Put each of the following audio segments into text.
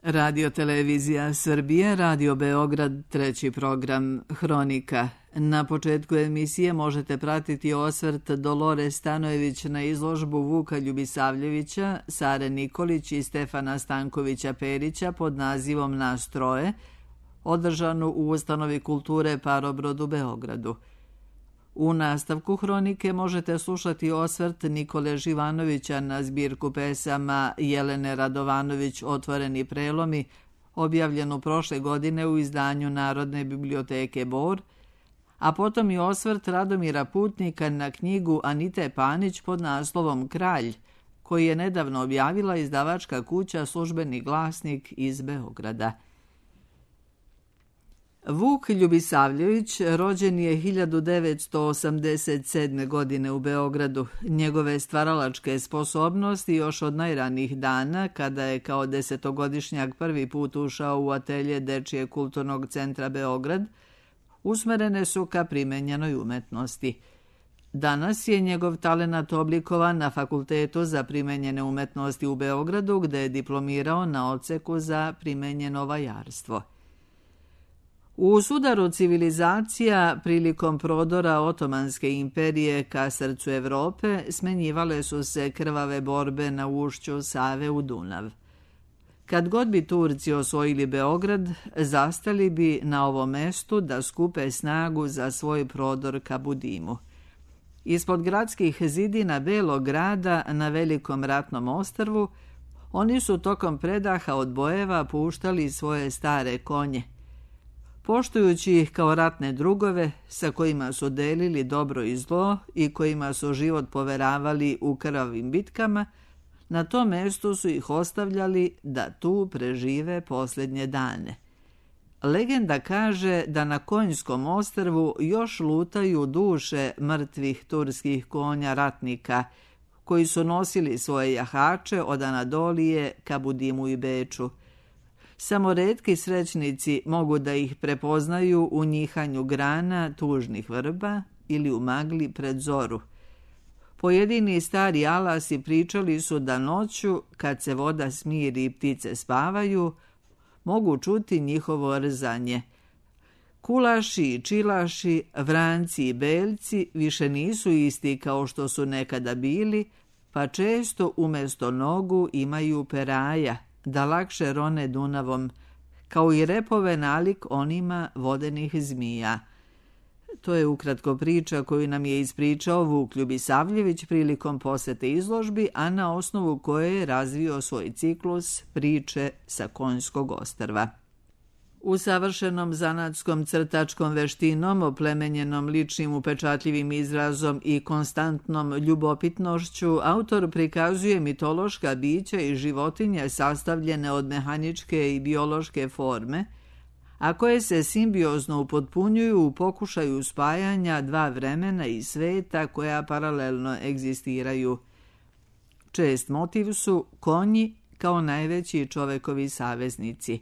Radio Televizija Srbije, Radio Beograd, treći program Hronika. Na početku emisije možete pratiti osvrt Dolore Stanojević na izložbu Vuka Ljubisavljevića, Sare Nikolić i Stefana Stankovića Perića pod nazivom Nas troje, održanu u Ustanovi kulture Parobrod u Beogradu. U nastavku Hronike možete slušati osvrt Nikole Živanovića na zbirku pesama Jelene Radovanović Otvoreni prelomi, objavljenu prošle godine u izdanju Narodne biblioteke Bor, a potom i osvrt Radomira Putnika na knjigu Anite Panić pod naslovom Kralj, koji je nedavno objavila izdavačka kuća Službeni glasnik iz Beograda. Vuk Ljubisavljević rođen je 1987. godine u Beogradu. Njegove stvaralačke sposobnosti još od najranijih dana, kada je kao 10-godišnjak prvi put ušao u atelje Dečije kulturnog centra Beograd, usmerene su ka primenjenoj umetnosti. Danas je njegov talenat oblikovan na Fakultetu za primenjene umetnosti u Beogradu, gde je diplomirao na odseku za primenjeno vajarstvo. U sudaru civilizacija prilikom prodora Otomanske imperije ka srcu Evrope smenjivale su se krvave borbe na ušću Save u Dunav. Kad god bi Turci osvojili Beograd, zastali bi na ovom mestu da skupe snagu za svoj prodor ka Budimu. Ispod gradskih zidina Belog grada na Velikom ratnom ostrvu oni su tokom predaha od bojeva puštali svoje stare konje, poštujući ih kao ratne drugove sa kojima su delili dobro i zlo i kojima su život poveravali u krvavim bitkama. Na tom mestu su ih ostavljali da tu prežive posljednje dane. Legenda kaže da na Konjskom ostrvu još lutaju duše mrtvih turskih konja ratnika, koji su nosili svoje jahače od Anadolije ka Budimu i Beču. Samo retki srećnici mogu da ih prepoznaju u njihanju grana tužnih vrba ili u magli pred zoru. Pojedini stari alasi pričali su da noću, kad se voda smiri i ptice spavaju, mogu čuti njihovo rzanje. Kulaši i čilaši, vranci i belci više nisu isti kao što su nekada bili, pa često umjesto nogu imaju peraja, da lakše rone Dunavom, kao i repove nalik onima vodenih zmija. To je ukratko priča koju nam je ispričao Vuk Ljubisavljević prilikom posete izložbi, a na osnovu koje je razvio svoj ciklus Priče sa Konjskog ostrva. Usavršenom zanatskom crtačkom veštinom, oplemenjenom ličnim upečatljivim izrazom i konstantnom ljubopitnošću, autor prikazuje mitološka bića i životinje sastavljene od mehaničke i biološke forme, a koje se simbiozno upotpunjuju u pokušaju spajanja dva vremena i sveta koja paralelno egzistiraju. Čest motiv su konji kao najveći čovekovi saveznici.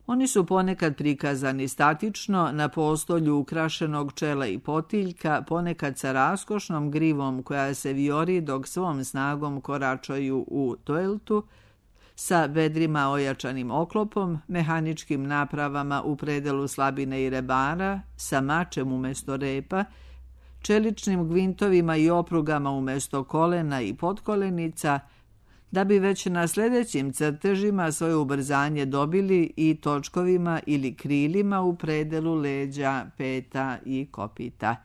Oni su ponekad prikazani statično na postolju ukrašenog čela i potiljka, ponekad sa raskošnom grivom koja se vijori dok svom snagom koračaju u toeltu, sa bedrima ojačanim oklopom, mehaničkim napravama u predelu slabine i rebara, sa mačem umjesto repa, čeličnim gvintovima i oprugama umjesto kolena i potkolenica, da bi već na sljedećim crtežima svoje ubrzanje dobili i točkovima ili krilima u predelu leđa, peta i kopita.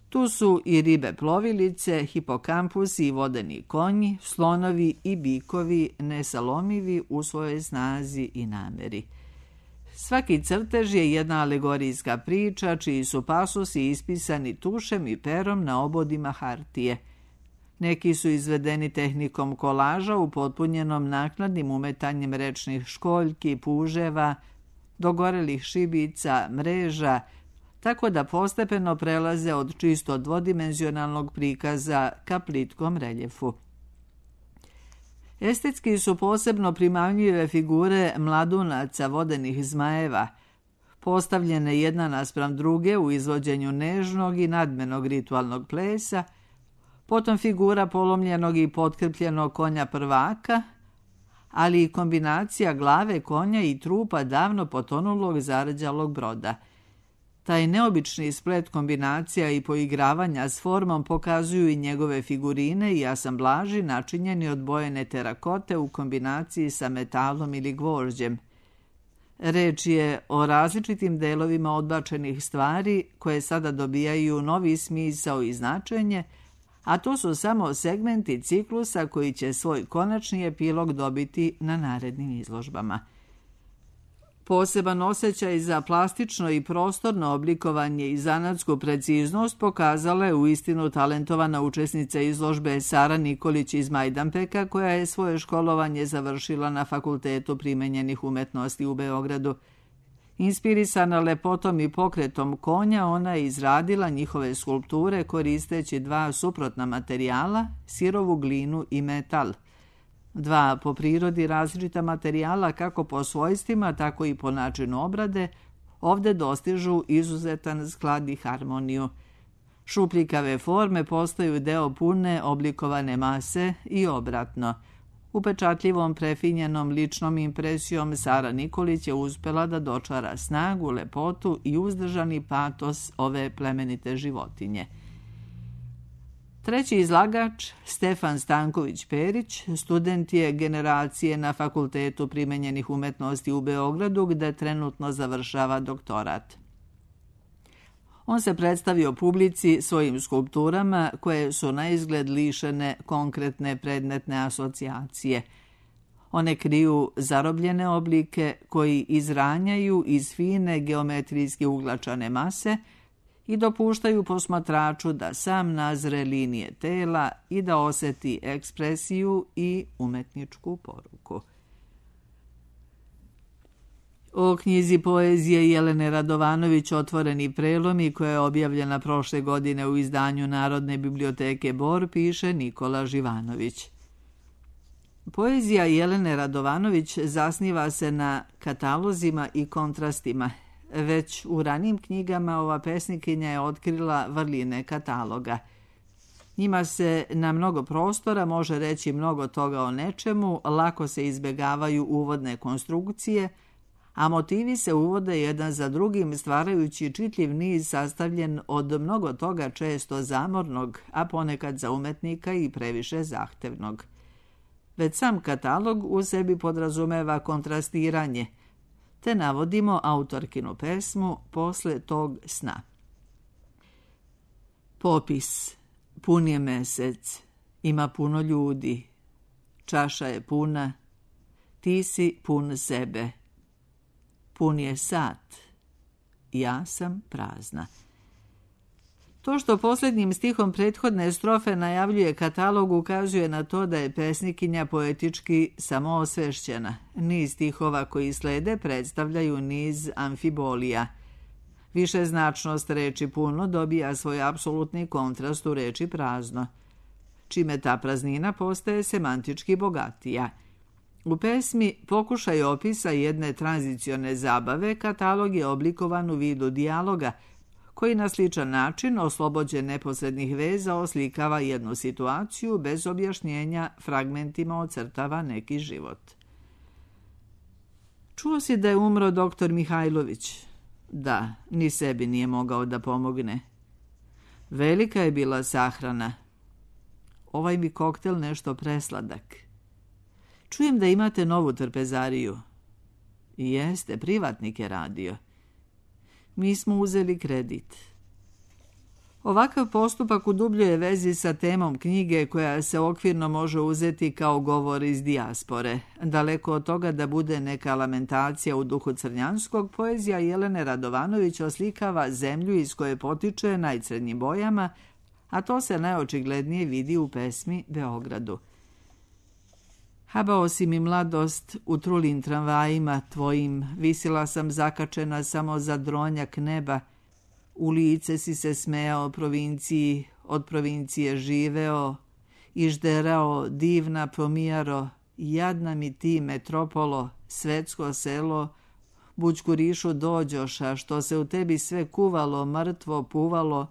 Tu su i ribe plovilice, hipokampusi i vodeni konji, slonovi i bikovi nesalomivi u svojoj snazi i nameri. Svaki crtež je jedna alegorijska priča čiji su pasusi ispisani tušem i perom na obodima hartije. Neki su izvedeni tehnikom kolaža upotpunjenom naknadnim umetanjem rečnih školjki, puževa, dogorelih šibica, mreža, tako da postepeno prelaze od čisto dvodimenzionalnog prikaza ka plitkom reljefu. Estetski su posebno primamljive figure mladunaca vodenih zmajeva, postavljene jedna naspram druge u izvođenju nežnog i nadmenog ritualnog plesa, potom figura polomljenog i potkrpljenog konja prvaka, ali i kombinacija glave konja i trupa davno potonulog zarđalog broda. Taj neobični splet kombinacija i poigravanja s formom pokazuju i njegove figurine i asamblaži načinjeni od bojene terakote u kombinaciji sa metalom ili gvožđem. Reč je o različitim delovima odbačenih stvari koje sada dobijaju novi smisao i značenje, a to su samo segmenti ciklusa koji će svoj konačni epilog dobiti na narednim izložbama. Poseban osjećaj za plastično i prostorno oblikovanje i zanatsku preciznost pokazala je uistinu talentovana učesnica izložbe Sara Nikolić iz Majdanpeka, koja je svoje školovanje završila na Fakultetu primenjenih umetnosti u Beogradu. Inspirisana lepotom i pokretom konja, ona je izradila njihove skulpture koristeći dva suprotna materijala, sirovu glinu i metal. Dva po prirodi različita materijala kako po svojstvima, tako i po načinu obrade, ovde dostižu izuzetan sklad i harmoniju. Šupljikave forme postaju deo pune oblikovane mase i obratno. Upečatljivom prefinjenom ličnom impresijom Sara Nikolić je uspela da dočara snagu, lepotu i uzdržani patos ove plemenite životinje. Treći izlagač, Stefan Stanković-Perić, student je generacije na Fakultetu primenjenih umetnosti u Beogradu, gde trenutno završava doktorat. On se predstavio publici svojim skulpturama koje su na izgled lišene konkretne predmetne asocijacije. One kriju zarobljene oblike koji izranjaju iz fine geometrijski uglačane mase i dopuštaju posmatraču da sam nazre linije tela i da oseti ekspresiju i umetničku poruku. O knjizi poezije Jelene Radovanović Otvoreni prelomi, koja je objavljena prošle godine u izdanju Narodne biblioteke Bor, piše Nikola Živanović. Poezija Jelene Radovanović zasniva se na katalozima i kontrastima. Već u ranijim knjigama ova pesnikinja je otkrila vrline kataloga. Njima se na mnogo prostora može reći mnogo toga o nečemu, lako se izbegavaju uvodne konstrukcije, a motivi se uvode jedan za drugim stvarajući čitljiv niz sastavljen od mnogo toga često zamornog, a ponekad za umetnika i previše zahtevnog. Već sam katalog u sebi podrazumeva kontrastiranje, te navodimo autorkinu pesmu Posle tog sna. Popis. Pun je mesec, ima puno ljudi, čaša je puna, ti si pun sebe. Pun je sat, ja sam prazna. To što posljednjim stihom prethodne strofe najavljuje katalog ukazuje na to da je pesnikinja poetički samoosvešćena. Niz stihova koji slede predstavljaju niz amfibolija. Višeznačnost reči puno dobija svoj apsolutni kontrast u reči prazno, čime ta praznina postaje semantički bogatija. U pesmi Pokušaj opisa jedne tranzicione zabave katalog je oblikovan u vidu dijaloga, koji na sličan način, oslobođen neposrednih veza, oslikava jednu situaciju bez objašnjenja, fragmentima ocrtava neki život. Čuo si da je umro doktor Mihajlović? Da, ni sebi nije mogao da pomogne. Velika je bila sahrana. Ovaj mi koktel nešto presladak. Čujem da imate novu trpezariju. Jeste, privatnik je radio. Mi smo uzeli kredit. Ovakav postupak u dubljoj vezi sa temom knjige koja se okvirno može uzeti kao govor iz dijaspore. Daleko od toga da bude neka lamentacija u duhu crnjanskog, poezija Jelene Radovanović oslikava zemlju iz koje potiče najcrnjim bojama, a to se najočiglednije vidi u pesmi Beogradu. Habao si mi mladost u trulim tramvajima tvojim, visila sam zakačena samo za dronjak neba, u lice si se smejao provinciji, od provincije živeo, i žderao divna pomijaro, jadna mi ti metropolo, svetsko selo, bućkurišu dođoša, što se u tebi sve kuvalo, mrtvo puvalo,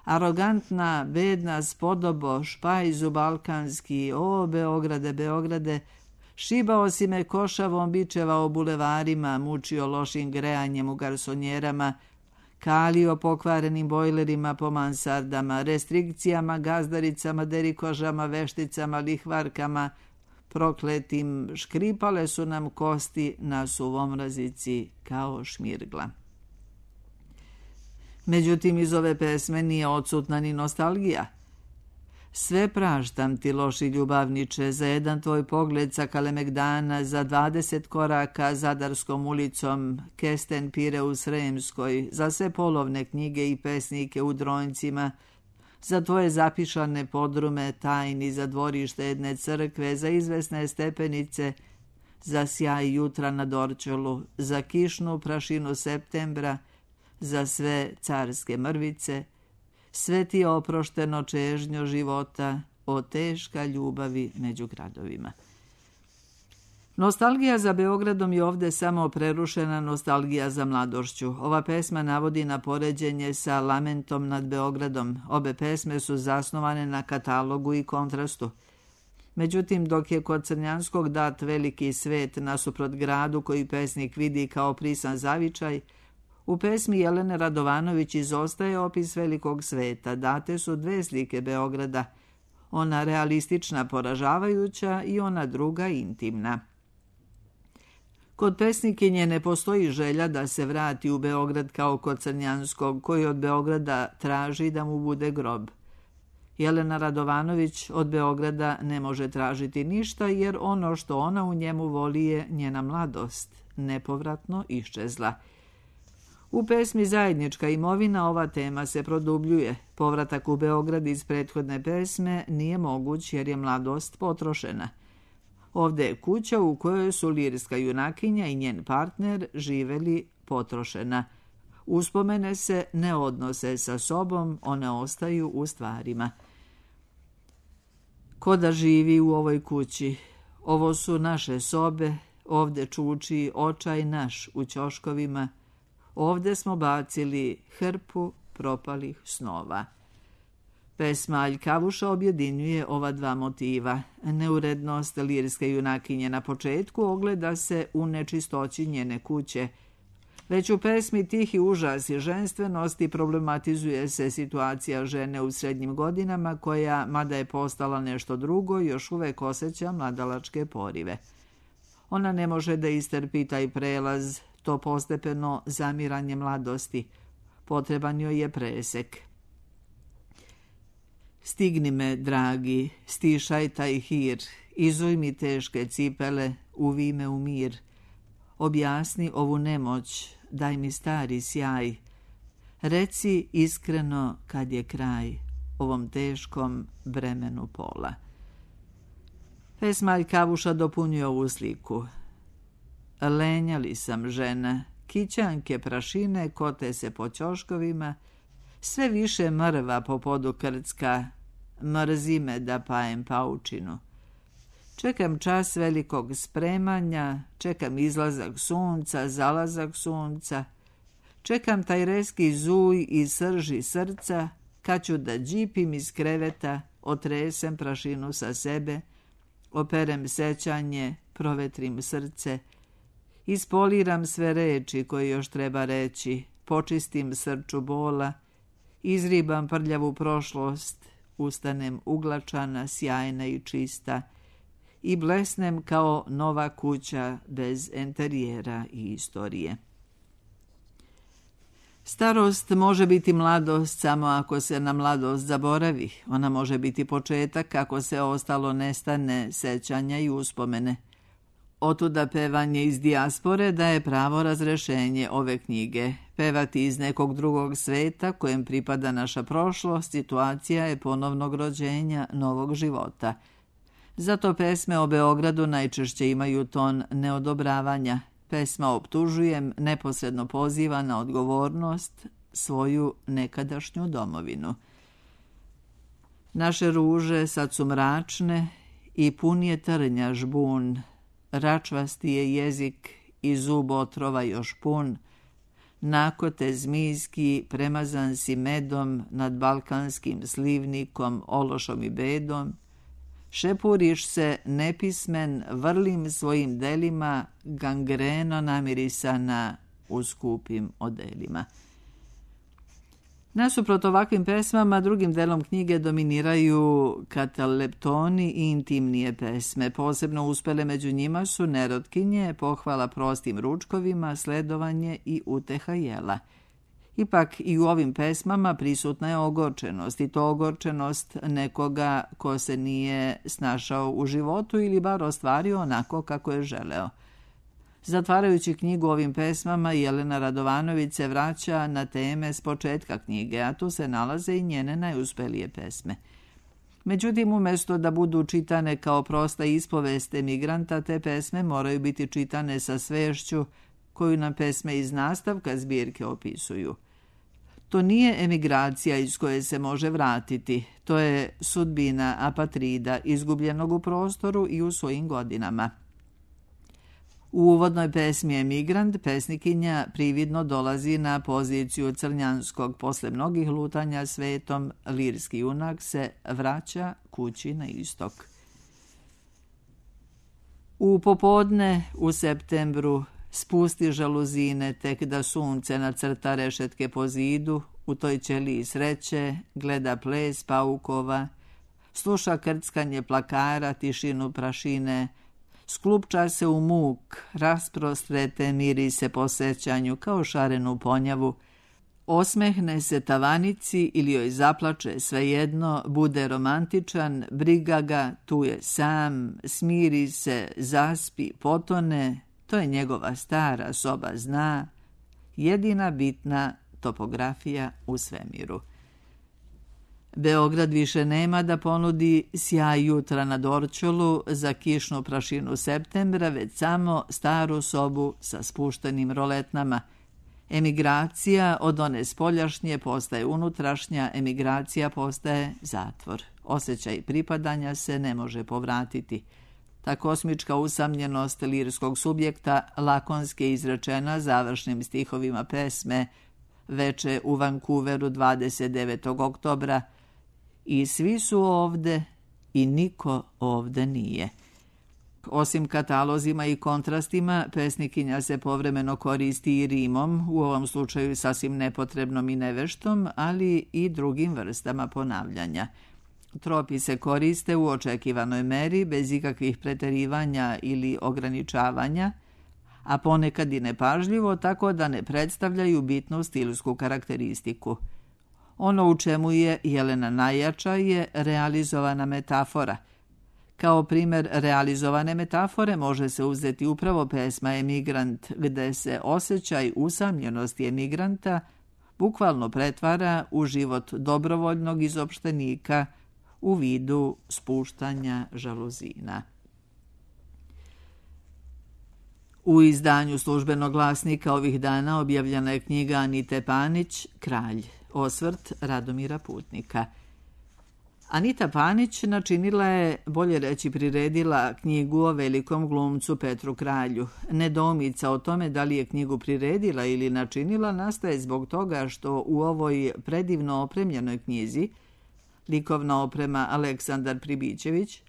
arogantna, bedna spodobo, špajzu balkanski, o Beograde, Beograde, Šibao si me košavom, bičevao bulevarima, mučio lošim grejanjem u garsonjerama, kalio pokvarenim bojlerima po mansardama, restrikcijama, gazdaricama, derikožama, vešticama, lihvarkama, prokletim, škripale su nam kosti na suvom razici kao šmirgla. Međutim, iz ove pesme nije odsutna ni nostalgija. Sve praštam ti, loši ljubavniče, za jedan tvoj pogled sa Kalemegdana, za 20 koraka Zadarskom ulicom, kesten pire u Sremskoj, za sve polovne knjige i pesnike u Dronjcima, za tvoje zapišane podrume tajni, za dvorište jedne crkve, za izvesne stepenice, za sjaj jutra na Dorćolu, za kišnu prašinu septembra, za sve carske mrvice, sve ti je oprošteno čežnjo života, o teška ljubavi među gradovima. Nostalgija za Beogradom je ovde samo prerušena nostalgija za mladošću. Ova pesma navodi na poređenje sa Lamentom nad Beogradom. Obe pesme su zasnovane na katalogu i kontrastu. Međutim, dok je kod Crnjanskog dat veliki svet nasuprot gradu koji pesnik vidi kao prisan zavičaj, u pesmi Jelene Radovanović izostaje opis velikog sveta. Date su dve slike Beograda, ona realistična, poražavajuća i ona druga, intimna. Kod pesnikinje ne postoji želja da se vrati u Beograd kao kod Crnjanskog, koji od Beograda traži da mu bude grob. Jelena Radovanović od Beograda ne može tražiti ništa, jer ono što ona u njemu voli je njena mladost, nepovratno iščezla. U pesmi Zajednička imovina ova tema se produbljuje. Povratak u Beograd iz prethodne pesme nije moguć jer je mladost potrošena. Ovde je kuća u kojoj su lirska junakinja i njen partner živeli potrošena. Uspomene se ne odnose sa sobom, one ostaju u stvarima. Ko da živi u ovoj kući? Ovo su naše sobe, ovde čuči očaj naš u ćoškovima, ovde smo bacili hrpu propalih snova. Pesma Aljkavuša objedinjuje ova dva motiva. Neurednost lirske junakinje na početku ogleda se u nečistoći njene kuće. Već u pesmi Tihi užas i ženstvenosti problematizuje se situacija žene u srednjim godinama koja, mada je postala nešto drugo, još uvek osjeća mladalačke porive. Ona ne može da istrpi taj prelaz, to postepeno zamiranje mladosti. Potreban joj je presek. Stigni me, dragi, stišaj taj hir, izuj mi teške cipele, uvi me u mir. Objasni ovu nemoć, daj mi stari sjaj. Reci iskreno kad je kraj ovom teškom bremenu pola. Pesma Aljkavuša dopunjuje ovu sliku. Lenjali sam žena, kićanke prašine kote se po ćoškovima, sve više mrva po podu krcka, mrzi me da pajem paučinu. Čekam čas velikog spremanja, čekam izlazak sunca, zalazak sunca, čekam taj reski zuj i srži srca, kad ću da džipim iz kreveta, otresem prašinu sa sebe, operem sećanje, provetrim srce, ispoliram sve reči koje još treba reći, počistim srču bola, izribam prljavu prošlost, ustanem uglačana, sjajna i čista i blesnem kao nova kuća bez enterijera i istorije. Starost može biti mladost samo ako se na mladost zaboravi. Ona može biti početak ako se ostalo nestane sećanja i uspomene. Otuda pevanje iz dijaspore daje pravo razrešenje ove knjige. Pevati iz nekog drugog sveta kojem pripada naša prošlost, situacija je ponovnog rođenja, novog života. Zato pesme o Beogradu najčešće imaju ton neodobravanja. Pesma Optužujem neposredno poziva na odgovornost svoju nekadašnju domovinu. Naše ruže sad su mračne i pun je trnja žbun, račvasti je jezik i zub otrova još pun, nakote zmijski premazan si medom nad balkanskim slivnikom, ološom i bedom, šepuriš se nepismen, vrlim svojim delima, gangreno namirisana u skupim odelima. Nasuprot ovakvim pesmama, drugim delom knjige dominiraju kataleptoni i intimnije pesme. Posebno uspele među njima su Nerotkinje, pohvala prostim ručkovima, sledovanje i uteha jela. Ipak i u ovim pesmama prisutna je ogorčenost, i to ogorčenost nekoga ko se nije snašao u životu ili bar ostvario onako kako je želeo. Zatvarajući knjigu ovim pesmama, Jelena Radovanović se vraća na teme s početka knjige, a tu se nalaze i njene najuspelije pesme. Međutim, umjesto da budu čitane kao prosta ispovest emigranta, te pesme moraju biti čitane sa svešću koju nam pesme iz nastavka zbirke opisuju. To nije emigracija iz koje se može vratiti, to je sudbina apatrida, izgubljenog u prostoru i u svojim godinama. U uvodnoj pesmi Emigrant pesnikinja prividno dolazi na poziciju Crnjanskog. Posle mnogih lutanja svetom, lirski junak se vraća kući na istok. U popodne u septembru spusti žaluzine, tek da sunce nacrta rešetke po zidu, u toj ćeliji sreće gleda ples paukova, sluša krckanje plakara, tišinu prašine, sklupča se u muk, rasprostrete mirise po sećanju kao šarenu ponjavu, osmehne se tavanici ili joj zaplače, svejedno, bude romantičan, briga ga, tu je sam, smiri se, zaspi, potone, to je njegova stara soba zna, jedina bitna topografija u svemiru. Beograd više nema da ponudi sjaj jutra na Dorćolu za kišnu prašinu septembra, već samo staru sobu sa spuštenim roletnama. Emigracija od one spoljašnje postaje unutrašnja, emigracija postaje zatvor. Osjećaj pripadanja se ne može povratiti. Ta kosmička usamljenost lirskog subjekta lakonski je izrečena završnim stihovima pesme Veče u Vancouveru 29. oktobra. I svi su ovde i niko ovde nije. Osim katalozima i kontrastima, pesnikinja se povremeno koristi i rimom, u ovom slučaju sasvim nepotrebnom i neveštom, ali i drugim vrstama ponavljanja. Tropi se koriste u očekivanoj meri, bez ikakvih preterivanja ili ograničavanja, a ponekad i nepažljivo, tako da ne predstavljaju bitnu stilsku karakteristiku. Ono u čemu je Jelena najjača je realizovana metafora. Kao primjer realizovane metafore može se uzeti upravo pesma Emigrant, gde se osjećaj usamljenosti emigranta bukvalno pretvara u život dobrovoljnog izopštenika u vidu spuštanja žaluzina. U izdanju Službenog glasnika ovih dana objavljena je knjiga Anite Panić, Kralj, osvrt Radomira Putnika. Anita Panić načinila je, bolje reći priredila, knjigu o velikom glumcu Petru Kralju. Nedoumica o tome da li je knjigu priredila ili načinila nastaje zbog toga što u ovoj predivno opremljenoj knjizi, likovna oprema Aleksandar Pribićević,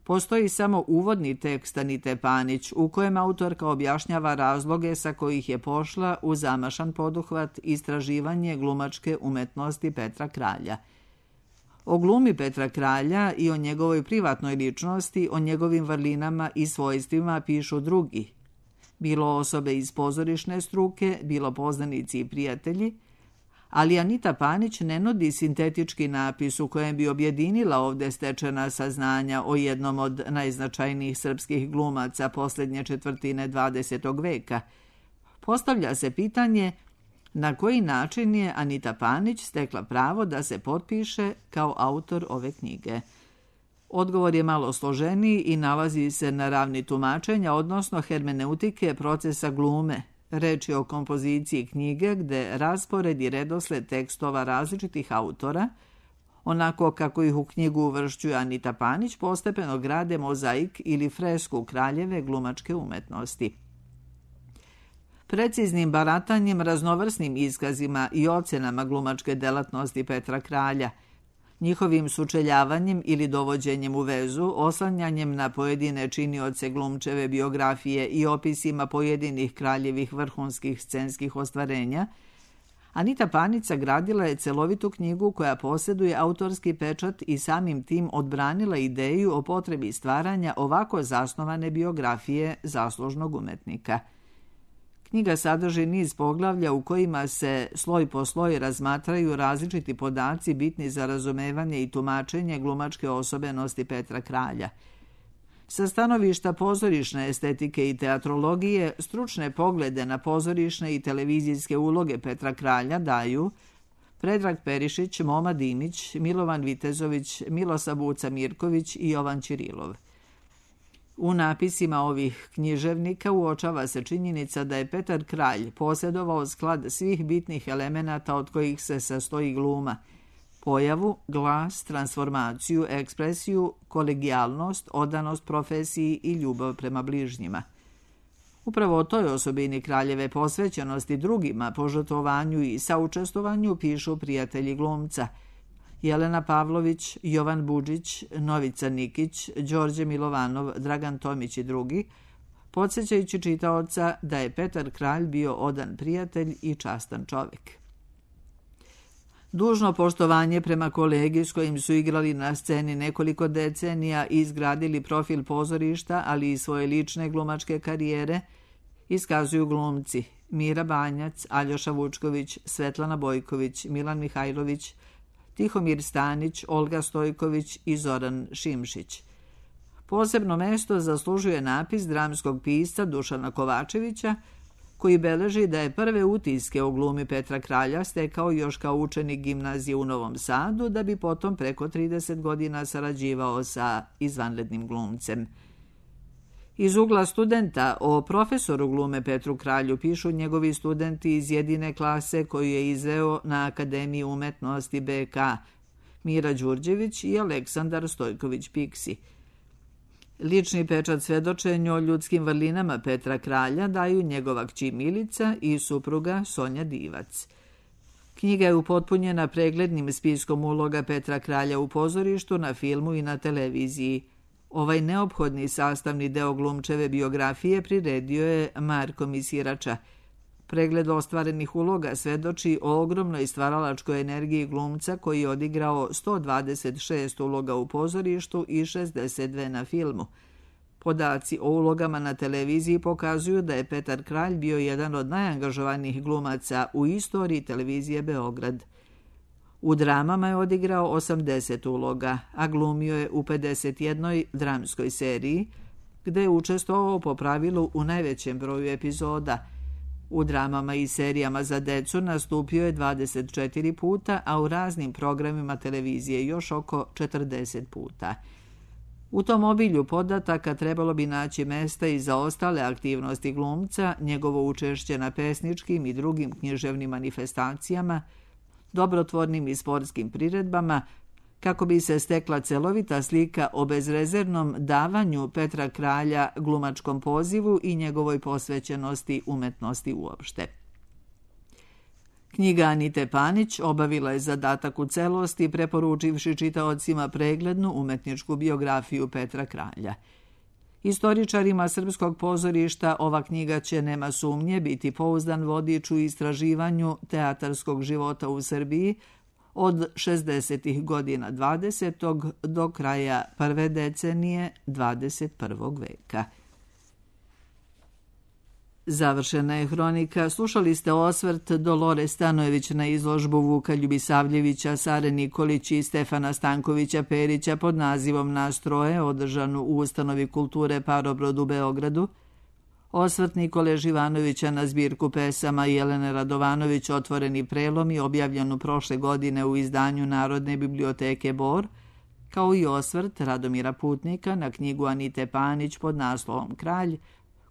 postoji samo uvodni tekst Anite Panić, u kojem autorka objašnjava razloge sa kojih je pošla u zamašan poduhvat istraživanje glumačke umetnosti Petra Kralja. O glumi Petra Kralja i o njegovoj privatnoj ličnosti, o njegovim vrlinama i svojstvima pišu drugi. Bilo osobe iz pozorišne struke, bilo poznanici i prijatelji, ali Anita Panić ne nudi sintetički napis u kojem bi objedinila ovde stečena saznanja o jednom od najznačajnijih srpskih glumaca posljednje četvrtine 20. veka. Postavlja se pitanje na koji način je Anita Panić stekla pravo da se potpiše kao autor ove knjige. Odgovor je malo složeniji i nalazi se na ravni tumačenja, odnosno hermeneutike procesa glume. Reč je o kompoziciji knjige gde raspored i redosled tekstova različitih autora, onako kako ih u knjigu uvršćuje Anita Panić, postepeno grade mozaik ili fresku kraljeve glumačke umetnosti. Preciznim baratanjem, raznovrsnim iskazima i ocenama glumačke delatnosti Petra Kralja, njihovim sučeljavanjem ili dovođenjem u vezu, oslanjanjem na pojedine činioce glumčeve biografije i opisima pojedinih kraljevih vrhunskih scenskih ostvarenja, Anita Panić sagradila je celovitu knjigu koja posjeduje autorski pečat i samim tim odbranila ideju o potrebi stvaranja ovako zasnovane biografije zaslužnog umetnika. Knjiga sadrži niz poglavlja u kojima se sloj po sloj razmatraju različiti podaci bitni za razumevanje i tumačenje glumačke osobenosti Petra Kralja. Sa stanovišta pozorišne estetike i teatrologije, stručne poglede na pozorišne i televizijske uloge Petra Kralja daju Predrag Perišić, Moma Dimić, Milovan Vitezović, Milosa Buca Mirković i Jovan Ćirilov. U napisima ovih književnika uočava se činjenica da je Petar Kralj posjedovao sklad svih bitnih elemenata od kojih se sastoji gluma: pojavu, glas, transformaciju, ekspresiju, kolegijalnost, odanost profesiji i ljubav prema bližnjima. Upravo o toj osobini Kraljeve posvećenosti drugima, požrtvovanju i saučestvovanju pišu prijatelji glumca: Jelena Pavlović, Jovan Budžić, Novica Nikić, Đorđe Milovanov, Dragan Tomić i drugi, podsjećajući čitaoca da je Petar Kralj bio odan prijatelj i častan čovjek. Dužno poštovanje prema kolegi s kojim su igrali na sceni nekoliko decenija i izgradili profil pozorišta, ali i svoje lične glumačke karijere, iskazuju glumci Mira Banjac, Aljoša Vučković, Svetlana Bojković, Milan Mihajlović, Tihomir Stanić, Olga Stojković i Zoran Šimšić. Posebno mesto zaslužuje napis dramskog pisca Dušana Kovačevića, koji beleži da je prve utiske o glumi Petra Kralja stekao još kao učenik gimnazije u Novom Sadu, da bi potom preko 30 godina sarađivao sa izvanrednim glumcem. Iz ugla studenta o profesoru glume Petru Kralju pišu njegovi studenti iz jedine klase koju je izveo na Akademiji umetnosti BK, Mira Đurđević i Aleksandar Stojković-Piksi. Lični pečat svedočenju o ljudskim vrlinama Petra Kralja daju njegova kći Milica i supruga Sonja Divac. Knjiga je upotpunjena preglednim spiskom uloga Petra Kralja u pozorištu, na filmu i na televiziji. Ovaj neophodni sastavni deo glumčeve biografije priredio je Marko Misirača. Pregled ostvarenih uloga svedoči o ogromnoj stvaralačkoj energiji glumca koji je odigrao 126 uloga u pozorištu i 62 na filmu. Podaci o ulogama na televiziji pokazuju da je Petar Kralj bio jedan od najangažovanijih glumaca u istoriji televizije Beograd. U dramama je odigrao 80 uloga, a glumio je u 51 dramskoj seriji, gde je učestvovao po pravilu u najvećem broju epizoda. U dramama i serijama za decu nastupio je 24 puta, a u raznim programima televizije još oko 40 puta. U tom obilju podataka trebalo bi naći mesta i za ostale aktivnosti glumca, njegovo učešće na pesničkim i drugim književnim manifestacijama, dobrotvornim i sportskim priredbama, kako bi se stekla celovita slika o bezrezervnom davanju Petra Kralja glumačkom pozivu i njegovoj posvećenosti umetnosti uopšte. Knjiga Anite Panić obavila je zadatak u celosti, preporučivši čitaocima preglednu umetničku biografiju Petra Kralja. Istoričarima srpskog pozorišta ova knjiga će, nema sumnje, biti pouzdan vodič u istraživanju teatarskog života u Srbiji od 60. godina 20. do kraja prve decenije 21. veka. Završena je hronika. Slušali ste osvrt Dolore Stanojević na izložbu Vuka Ljubisavljevića, Sare Nikolić i Stefana Stankovića Perića pod nazivom Nastroje, održanu u Ustanovi kulture Parobrod u Beogradu. Osvrt Nikole Živanovića na zbirku pesama Jelene Radovanović Otvoreni prelomi, objavljenu prošle godine u izdanju Narodne biblioteke Bor, kao i osvrt Radomira Putnika na knjigu Anite Panić pod naslovom Kralj,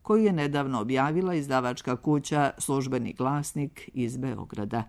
koju je nedavno objavila izdavačka kuća Službeni glasnik iz Beograda.